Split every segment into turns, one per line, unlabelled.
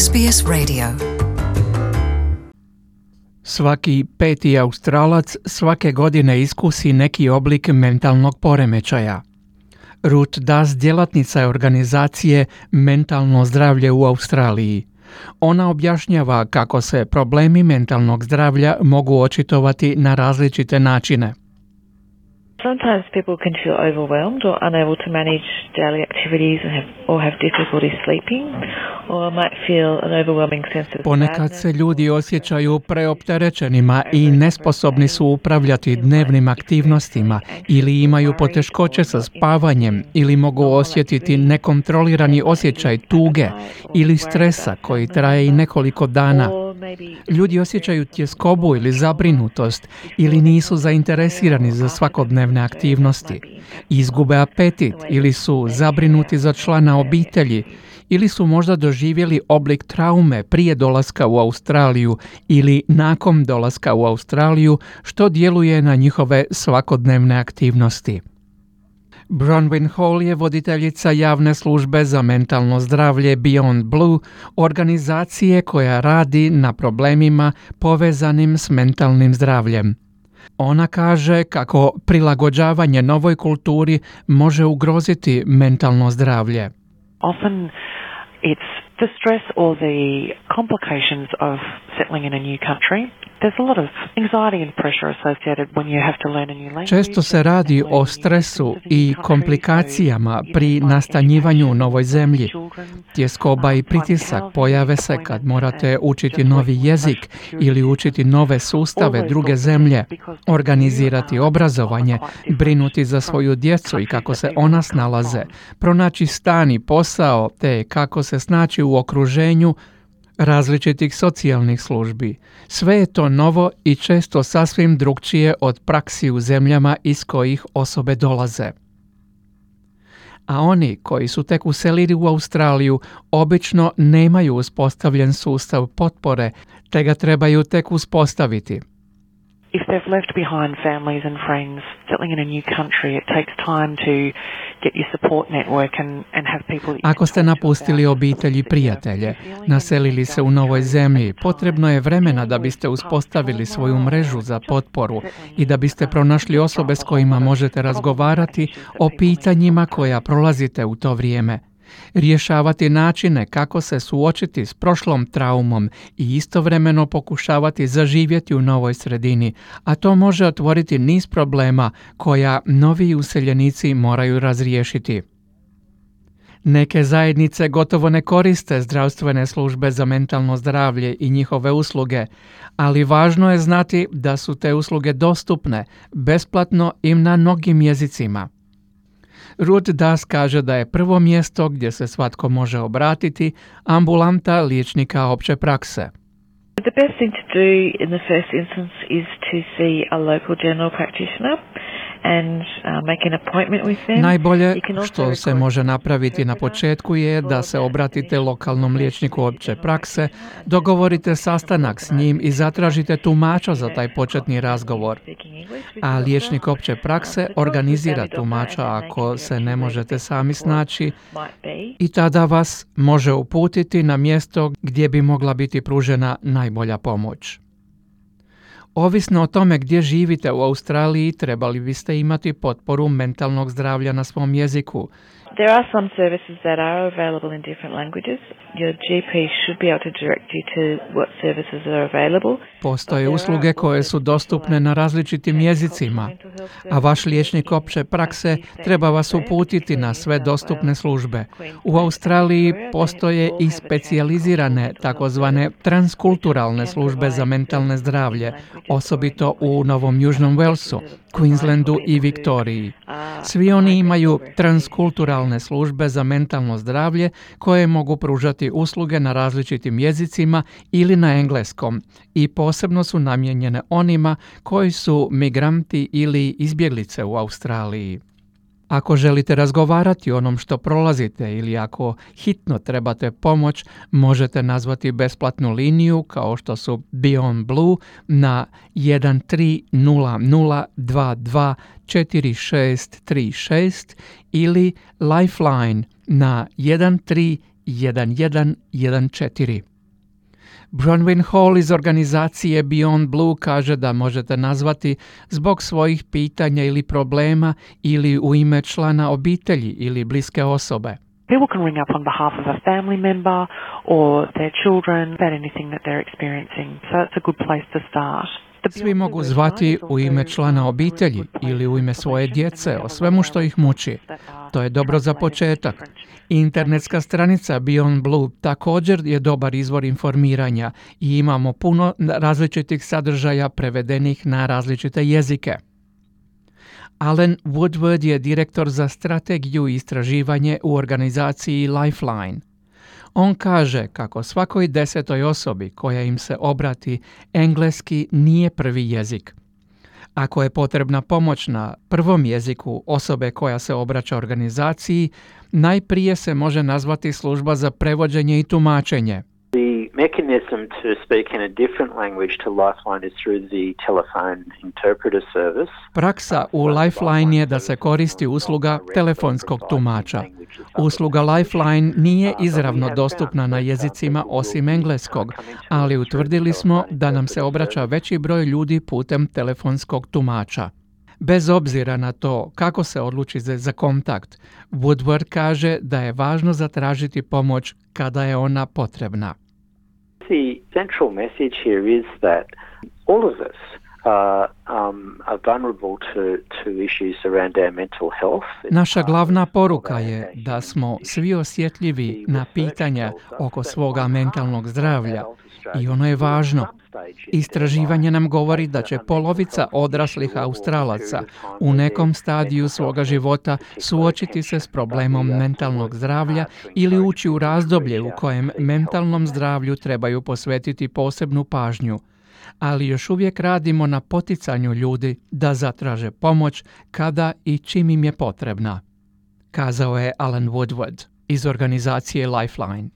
SBS Radio.
Svaki peti Australac svake godine iskusi neki oblik mentalnog poremećaja. Ruth Das djelatnica je organizacije Mentalno zdravlje u Australiji. Ona objašnjava kako se problemi mentalnog zdravlja mogu očitovati na različite načine.
Sometimes people can feel overwhelmed or unable to manage daily activities or have difficulty sleeping, or might feel an overwhelming sense of
Ponekad se ljudi osjećaju preopterećenima i nesposobni su upravljati dnevnim aktivnostima ili imaju poteškoće sa spavanjem ili mogu osjetiti nekontrolirani osjećaj tuge ili stresa koji traje i nekoliko dana. Ljudi osjećaju tjeskobu ili zabrinutost ili nisu zainteresirani za svakodnevne aktivnosti, izgube apetit ili su zabrinuti za člana obitelji ili su možda doživjeli oblik traume prije dolaska u Australiju ili nakon dolaska u Australiju što djeluje na njihove svakodnevne aktivnosti. Bronwyn Hall je voditeljica javne službe za mentalno zdravlje Beyond Blue, organizacije koja radi na problemima povezanim s mentalnim zdravljem. Ona kaže kako prilagođavanje novoj kulturi može ugroziti mentalno zdravlje.
Often it's the stress or the complications of settling in a new country. There's a lot of anxiety and pressure associated when you have to learn a new language.
Često se radi o stresu i komplikacijama pri nastanjivanju u novoj zemlji. Tjeskoba i pritisak pojave se kad morate učiti novi jezik ili učiti nove sustave druge zemlje, organizirati obrazovanje, brinuti za svoju djecu i kako se ona snalaze, pronaći stan i posao te kako se snaći u okruženju različitih socijalnih službi. Sve je to novo i često sasvim drukčije od praksi u zemljama iz kojih osobe dolaze. A oni koji su tek uselili u Australiju obično nemaju uspostavljen sustav potpore, te ga trebaju tek uspostaviti.
If they've left behind families and friends, settling in a new country, it takes time to get your support network and have people.
Ako ste napustili obitelj i prijatelje, naselili se u novoj zemlji, potrebno je vremena da biste uspostavili svoju mrežu za potporu i da biste pronašli osobe s kojima možete razgovarati o pitanjima koja prolazite u to vrijeme. Rješavati načine kako se suočiti s prošlom traumom i istovremeno pokušavati zaživjeti u novoj sredini, a to može otvoriti niz problema koja novi useljenici moraju razriješiti. Neke zajednice gotovo ne koriste zdravstvene službe za mentalno zdravlje i njihove usluge, ali važno je znati da su te usluge dostupne besplatno i na mnogim jezicima. Ruth Das kaže da je prvo mjesto gdje se svatko može obratiti ambulanta liječnika opće prakse.
The best thing to do in the first instance is to see a local general practitioner and make an appointment with them.
Najbolje što se može napraviti na početku je da se obratite lokalnom liječniku opće prakse, dogovorite sastanak s njim i zatražite tumača za taj početni razgovor. A liječnik opće prakse organizira tumača ako se ne možete sami snaći i tada vas može uputiti na mjesto gdje bi mogla biti pružena najbolja pomoć. Ovisno o tome gdje živite u Australiji, trebali biste imati potporu mentalnog zdravlja na svom jeziku.
There are some services that are available in different languages. Your GP should be able to direct you to what services are available.
Postoje usluge koje su dostupne na različitim jezicima, a vaš liječnik opće prakse treba vas uputiti na sve dostupne službe. U Australiji postoje i specijalizirane takozvane transkulturalne službe za mentalno zdravlje, osobito u Novom Južnom Walesu, Queenslandu i Viktoriji. Svi oni imaju transkulturalne službe za mentalno zdravlje koje mogu pružati usluge na različitim jezicima ili na engleskom i posebno su namijenjene onima koji su migranti ili izbjeglice u Australiji. Ako želite razgovarati o onom što prolazite ili ako hitno trebate pomoć, možete nazvati besplatnu liniju kao što su Beyond Blue na 1300224636 ili Lifeline na 131114. Bronwyn Hall iz organizacije Beyond Blue kaže da možete nazvati zbog svojih pitanja ili problema ili u ime člana obitelji ili bliske osobe.
People can ring up on behalf of a family member or their children about anything that they're experiencing. So it's a good place to start.
Svi mogu zvati u ime člana obitelji ili u ime svoje djece o svemu što ih muči. To je dobro za početak. Internetska stranica Beyond Blue također je dobar izvor informiranja i imamo puno različitih sadržaja prevedenih na različite jezike. Alan Woodward je direktor za strategiju i istraživanje u organizaciji Lifeline. On kaže kako svakoj 10. osobi koja im se obrati, engleski nije prvi jezik. Ako je potrebna pomoć na prvom jeziku osobe koja se obraća organizaciji, najprije se može nazvati služba za prevođenje i tumačenje.
The mechanism to speak in a different language to Lifeline is through the telephone interpreter service.
Praksa u Lifeline je da se koristi usluga telefonskog tumača. Usluga Lifeline nije izravno dostupna na jezicima osim engleskog, ali utvrdili smo da nam se obraća veći broj ljudi putem telefonskog tumača. Bez obzira na to kako se odluči za kontakt, Woodward kaže da je važno zatražiti pomoć kada je ona potrebna.
The central message here is that all of us are vulnerable to issues around our mental health.
Naša glavna poruka je da smo svi osjetljivi na pitanja oko svoga mentalnog zdravlja i ono je važno. Istraživanje nam govori da će polovica odraslih Australaca u nekom stadiju svoga života suočiti se s problemom mentalnog zdravlja ili ući u razdoblje u kojem mentalnom zdravlju trebaju posvetiti posebnu pažnju. Ali još uvijek radimo na poticanju ljudi da zatraže pomoć kada i čim im je potrebna, kazao je Alan Woodward iz organizacije Lifeline.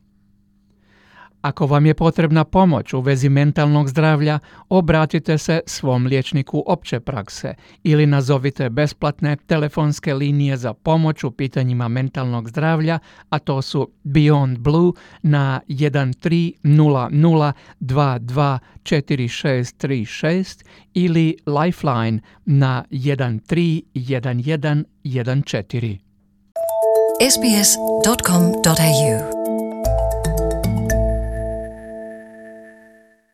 Ako vam je potrebna pomoć u vezi mentalnog zdravlja, obratite se svom liječniku opće prakse ili nazovite besplatne telefonske linije za pomoć u pitanjima mentalnog zdravlja, a to su Beyond Blue na 1300 22 4636 ili Lifeline na 131114.
sbs.com.au